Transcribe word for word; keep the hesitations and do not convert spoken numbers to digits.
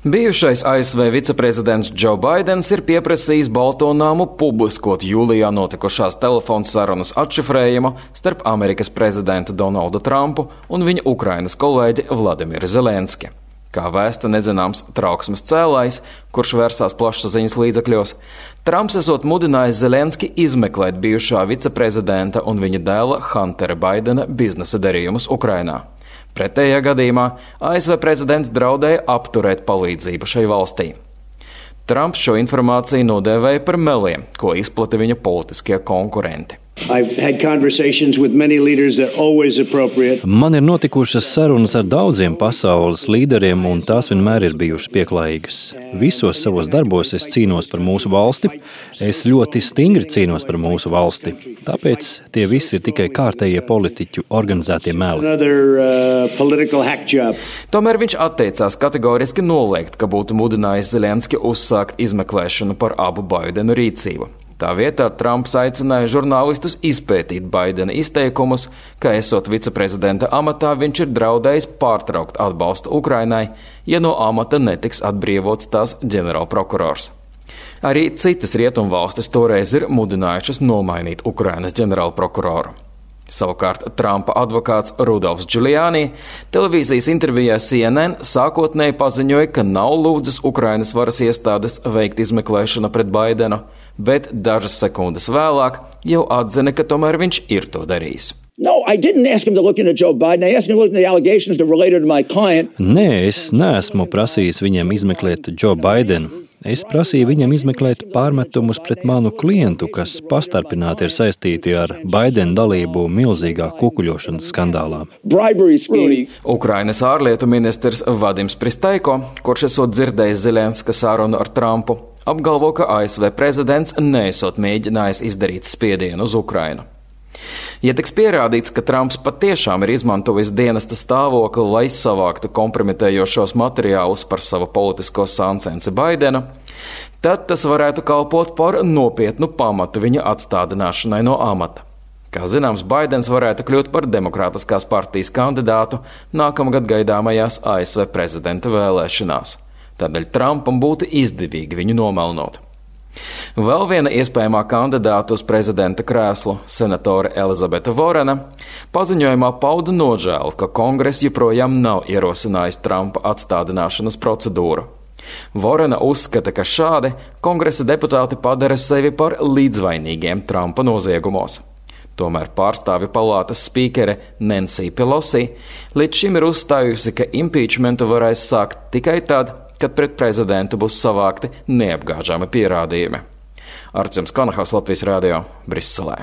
Bijušais A S V viceprezidents Džo Baidens ir pieprasījis Balto namu publiskot jūlijā notikušās telefona sarunas atšifrējumu starp Amerikas prezidentu Donaldu Trumpu un viņa Ukrainas kolēģi Vladimiru Zelenski. Kā vēsta nezināms trauksmes cēlājs, kurš vērsās plašsaziņas līdzekļos, Trumps esot mudinājis Zelenski izmeklēt bijušā viceprezidenta un viņa dēla Huntera Baidena biznesa darījumus Ukrainā. Pretējā gadījumā A S V prezidents draudēja apturēt palīdzību šai valstī. Trumps šo informāciju nodēvēja par meliem, ko izplata viņa politiskie konkurenti. Man ir notikušas sarunas ar daudziem pasaules līderiem, un tās vienmēr ir bijušas pieklājīgas. Visos savos darbos es cīnos par mūsu valsti. Es ļoti stingri cīnos par mūsu valsti. Tāpēc tie visi ir tikai kārtējie politiķu organizētie meli. Tomēr viņš atteicās kategoriski noliegt, ka būtu mudinājis Zelenski uzsākt izmeklēšanu par abu Baidenu rīcību. Tā vietā Trumps aicināja žurnālistus izpētīt Baidena izteikumus, ka esot viceprezidenta amatā viņš ir draudējis pārtraukt atbalstu Ukrainai, ja no amata netiks atbrīvots tās ģenerālprokurors. Arī citas rietumvalstis toreiz ir mudinājušas nomainīt Ukrainas ģenerālprokuroru. Savukārt Trumpa advokāts Rudolfs Giuliani televīzijas intervijā C N N sākotnēji paziņoja, ka nav lūdzis Ukrainas varas iestādes veikt izmeklēšanu pret Baidenu, bet dažas sekundes vēlāk jau atzina, ka tomēr viņš ir to darījis. No, I didn't ask him to look into Joe Biden. I asked him to look into the allegations that related to my client. Nē, es neesmu prasījis viņam izmeklēt Joe Bidenu. Es prasīju viņam izmeklēt pārmetumus pret manu klientu, kas pastarpināti ir saistīti ar Baidena dalību milzīgā kukuļošanas skandālā. Ukrainas ārlietu ministrs Vadims Pristaiko, kurš esot dzirdējis Zelenska sarunu ar Trumpu, apgalvo, ka A S V prezidents neesot mēģinājis izdarīt spiedienu uz Ukrainu. Ja tiks pierādīts, ka Trumps patiešām ir izmantojis dienesta stāvokli, lai savāktu kompromitējošos materiālus par savu politisko sāncensi Baidenu, tad tas varētu kalpot par nopietnu pamatu viņa atstādināšanai no amata. Kā zināms, Baidens varētu kļūt par Demokrātiskās partijas kandidātu nākamgad gaidāmajās A S V prezidenta vēlēšanās. Tādēļ Trumpam būtu izdevīgi viņu nomelnot. Vēl viena iespējamā kandidāta uz prezidenta krēslu, senatore Elizabete Vorena, paziņojumā pauda nožēlu, ka Kongress joprojām nav ierosinājis Trumpa atstādināšanas procedūru. Vorena uzskata, ka šādi Kongresa deputāti padara sevi par līdzvainīgiem Trumpa noziegumos. Tomēr pārstāvju palātas spīkere Nancy Pelosi līdz šim ir uzstājusi, ka impeachmentu varēs sākt tikai tad, kad pret prezidentu būs savākti neapgāžami pierādījumi. Artjums Kanahals, Latvijas radio, Briselē.